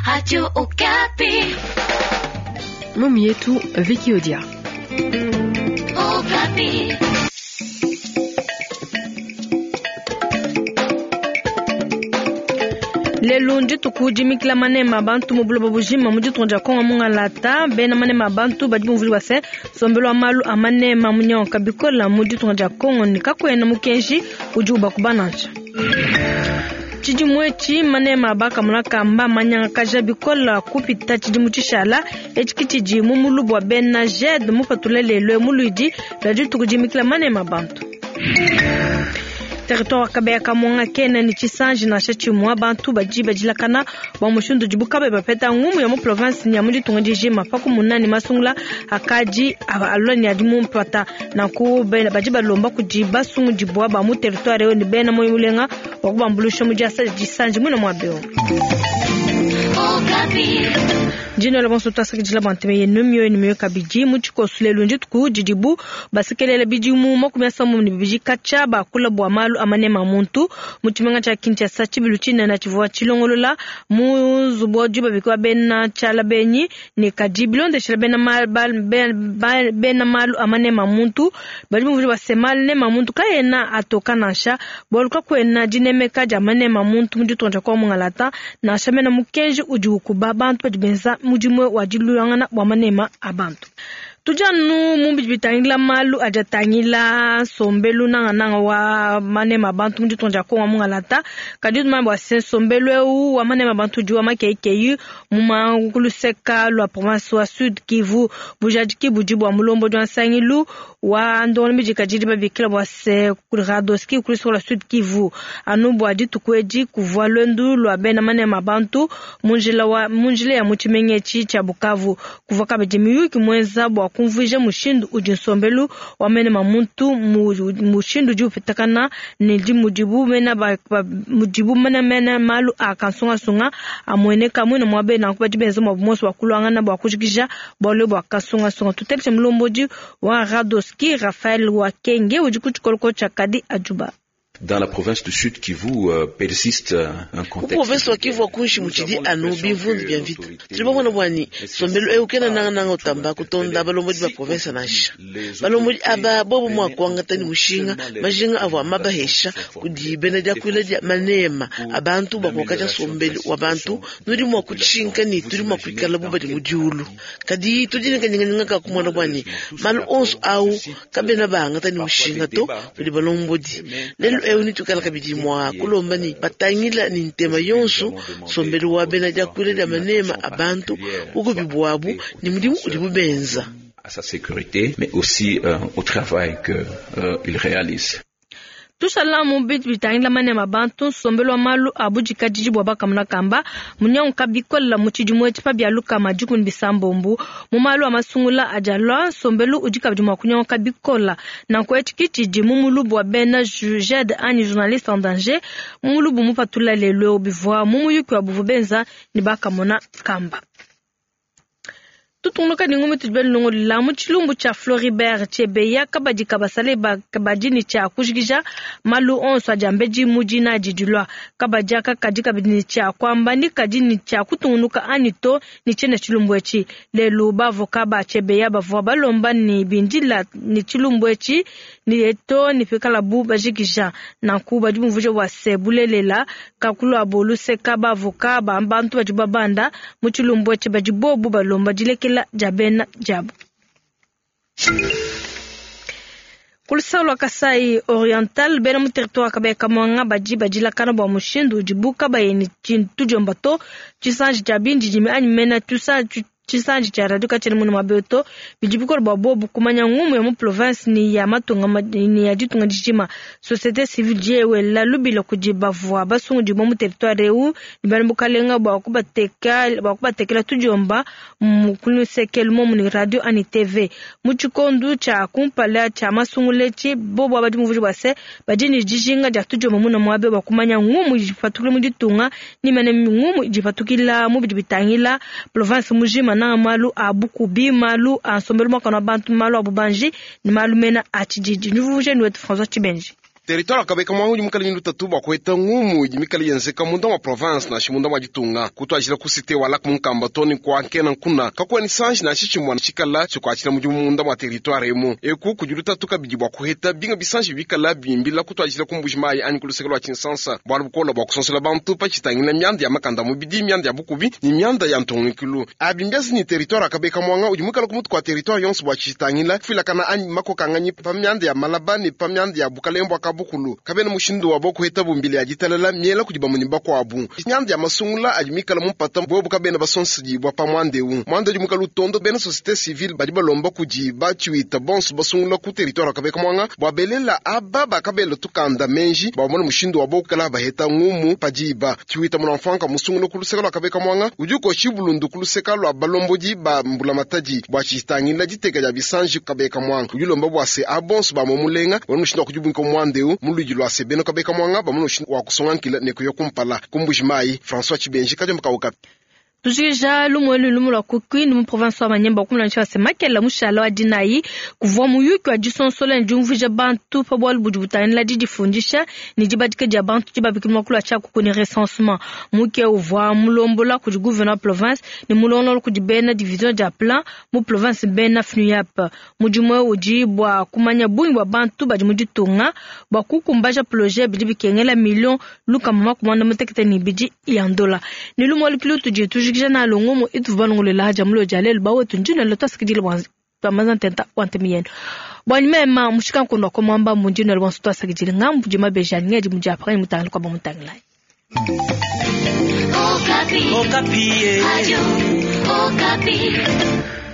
Radio Okapi. Mumi yetu Vicky Odia. Okapi. Lelu ndituku dimikila manema bantu mu buloba bujima mu ditunga dia Kongo mungalata. Bena manema bantu badi bumvuli bua se nsombelu wa malu a manema munyonka bikola mu ditunga dia Kongo ne kakuena mukenji udi ubakuba nansha. Tshidimu etshi manema bakamona kamba manyangakaja bikola kupita tshidimu tshishala etshi ke tshidi mu mulubu wa bena JED mupatula lelu mu luidi lua dituku dimikila manema bantu. Territoire wa Kabeya Kamwanga kena ne tshisanji nansha tshimue. Bantu badi badilakana bua mushindu udibu kabayi bapeta ngumu ya mu province ne ya mu ditunga dijima pa kumuna ne masungula akadi alua ne adi mu mpata. Nanku badi balomba kudi basungudibua ba mu territoire eu ne bena muoyo mulenga bua kubambuluisha mu diasa disanji muine muaba eu. Ndinola bonso tuasakidila bua ntema yenu mioyo ne mioyo kabidi mu tshikoso. Lelu ndituku didibu basekelela bidimu 32 katshia bakula bua malu a manema a muntu mu tshimenga tshia Kinshasa. Tshibilu tshinene tshivua tshilongolola mu nzubu wa dibabika wa bena tshiala benyi ne kadi bilondeshela bena malu a manema a muntu badi bumvuija bua se manema a muntu kaena atoka nansha bualu kakuena dinemeka dia manema a muntu mu ditunga dia Kongo Mungalata nansha mena mukenji udi ukuba bantu badi benza mudimu wa diluangana bua manema a bantu. Tudi anu mu bidi bitangila malu adi atangila nsombelu nangananga wa manema a bantu mu ditunga dia Kongo Mungalata. Kadi tumanye bua se nsombelu eu wa manema a bantu udi wa makeikeyi mu manguluseka lua province wa Sud Kivu. Bujadiki budi bua mulombodi wa nsangilu wa ndongo midikadidi babikila bua se Radoski kuluseka lua Sud Kivu. Anu bua dituku edi kuvua luendu lua bena manema a bantu mu njila ya mu tshimenga etshi tshia Bukavu. Kuvua kabidi miyuki muenza bua kumvuija mushindu udi nsombelu wa manema muntu mushindu udi upitakana ne mudibu mena malu a kansungasunga amueneka muine muaba nanku badi benza muabu muonso wa kuluangana bua kujikija bualu bua kansungasunga. Tuteleje mulombodi wa Radoski Raphaël Wakenge udi ku tshikoloko tshia Kadi Ajuba. Dans la province du Sud Kivu persiste un contexte. Province wa Kivu akunshi muchidi anu bivundu bya mvita. Tulibona bwani sombelu eu kena nanga nanga utamba kutonda balombodi ba province nansha. Balombodi aba bobo mwa kuangata ni mushinga majinga avwa mabahesha kudi bena dia kuila dia manema abantu bakokaja sombelu wa bantu nudi mwa kutshinka ni tudi mwa kuikala bubadi mudiulu. Kadi tudi ne ka kumona bwani malu onso au kabena bangata ni mushinga to kudi balombodi. Lelu eu nitukala kabidi mwa kulomba ni batangila ni ntema yonso sombelu wa bena dia kuila dia manema abantu ukubibwabu ni mudimu udi bubenza à sa sécurité mais aussi au travail que il réalise. Tushala mu bitu bitangila manema bantu nsombelu wa malu a budikadidi bua bakamona kamba munyanguka bikola mu tshidimu etshi pa bialuka madikumi bisambombo mu malu a masungula adi alua nsombelu udi kabidi mua kunyanguka bikola. Nanku etshi ke tshidi mu mulubu wa bena JED anyi journaliste en danger mu mulubu mupatula lelu eu bivua mu muyuki wa buvua benza ne bakamona kamba. Tutungunuka ne ngumi tudi belongolola mu tshilumbu tshia Floribert Chebeya kabadi kabasale kabadi ne tshia kujikija malu onso adi ambedi mu dina adi dilua. Kabadi aka kadi kabidi ne tshia kuamba ni kadi ne tshia kutungunuka anyi to ne tshiena tshilumbu etshi. Lelu bavoka ba Chebeya bavua balomba ne bindila ne tshilumbu etshi ne to ne pikalabu bajikija. Nanku badi bumvuija bua se bulelela kakulua luseka bavoka ba bantu badi babanda mu tshilumbu etshi badi bobu balomba dilekela dia bena diabu. Ku lua Kasai Oriental bena mu territoire Kabeya Kamwanga badi badilakana bua mushindu udibu kabayi ne tshintu to tshisanji tshia bindidimi anyi mena tshisanji tshia radio katshiena munu muaba to bidi bikola bua bobu kumanya ngumu ya mu province ni ya matunga ni ya ditunga dijima. Société civile diewela lubila kudi bavua basungudibua mu territoire eu ne bena bukalenga bua kubatekela tudiomba mu kulusekelu momu ni radio ani TV mu tshikondu tshia kumpala tshia masungula etshi bobu abadi muvuji bua se badi ne dijinga dia tudiomba muna muaba bua kumanya ngumu idipatukila mu ditunga ni mene ngumu idipatukila mu bidi bitangila province mujima na malu a bukubi malu a nsombelu mwakana bantu malu a bubanji ni malu mena a tshididi. Nuvuje ni wetu François Tshibenji. Territoire wa Kabeka Mwanga udi mukale ne lutatu bua kuheta ngumu idi mikale yenzeka munda mua province nansha munda mua ditunga. Kutuadijila ku cite wa Lac Munkamba too ne ku Ankena Nkuna, kakuena tshisanji nansha tshimue tshikala tshikuatshila mudimu munda mua territoire emu. Eku kudi lutatu kabidi bua kuheta binga bisanji bikala bimbila kutuadijila ku Mbuji-Mayi anyi ku luseke lua Tshinsansa. Bualu bukole bua kusonsola bantu pa tshitangila mianda ya makanda a mubidi, mianda ya bukubi ne mianda ya ntungunukilu. Abi mbienza ne territoire wa Kabeka Mwanga udi muikale ku mutu kua territoire yonso bua tshitangila kufuilakana anyi makokanganyi pa mianda ya malaba ne pa mianda ya bukalenge bua kabukulu. Kabena mushindu wa kuheta mbila ya ditalala miela kudi bamue ne bakuabu. Mianda ya masungula adi mikale mu mpata bobu kabena basonsedibua pa muanda eu. Muanda udi muikale utondo bena société civile badi balomba kudi batshiwita bonso basungula ku territoire wa Kabeka Mwanga bua belela aba bakabela tukanda menji bua bamone mushindu wa bokukala baheta ngumu pa diba. Tshiwita munamfanka musungula ku luseke lua Kabeka Mwanga udi ukoshi bulundu ku luseke lua balombodi ba mbulamatadi bua tshitangila diteka dia bisanji Kabeka Mwanga. Udi ulomba bua se abonso ba mulenga bamone mushindu wa kudibunka muanda eu mu luidi lua se bena Kabeka Mwanga bamone mushindu wa kusonga nkila ne kuya kumpala. Ku Mbuji-Mayi, François Tshibenji, Kadiombo ka Okapi. Tujikija lumuenu lumu lua ku Kindu mu province wa Maniema bakumulanisha se makela mushala wa dinayi kuvua muyuki wa disonsola ne diumvuija bantu pa bualu budi butangila didifundisha ne dibadika dia bantu dibabikila muakulu wa tshiakuku ne recensement. Muke uvua mulombola kudi gouverneur wa province ne mulongolola kudi bena division dia plan mu province bena FNUAP. Mudimu eu udi bua kumanya bungi bua bantu badi mu ditunga bua kukumbaja projet bidi bikengela million lukama makumi muanda mutekete ne ibidi ya ndola. Ne lumu alu tudi tujikija na longomo itu balongolela haja mulo dia lelu bawetu njino lelo twasikidile bwa twamaza ntenta wa ntemi yenu. Bwanyi mema mushika nkondo kwa mwamba munjino lelo bonso twasakidile ngambu di mabeja ngedi mudi apaka mutangila kwa bamutangila. Okapi. Okapi. Radio Okapi.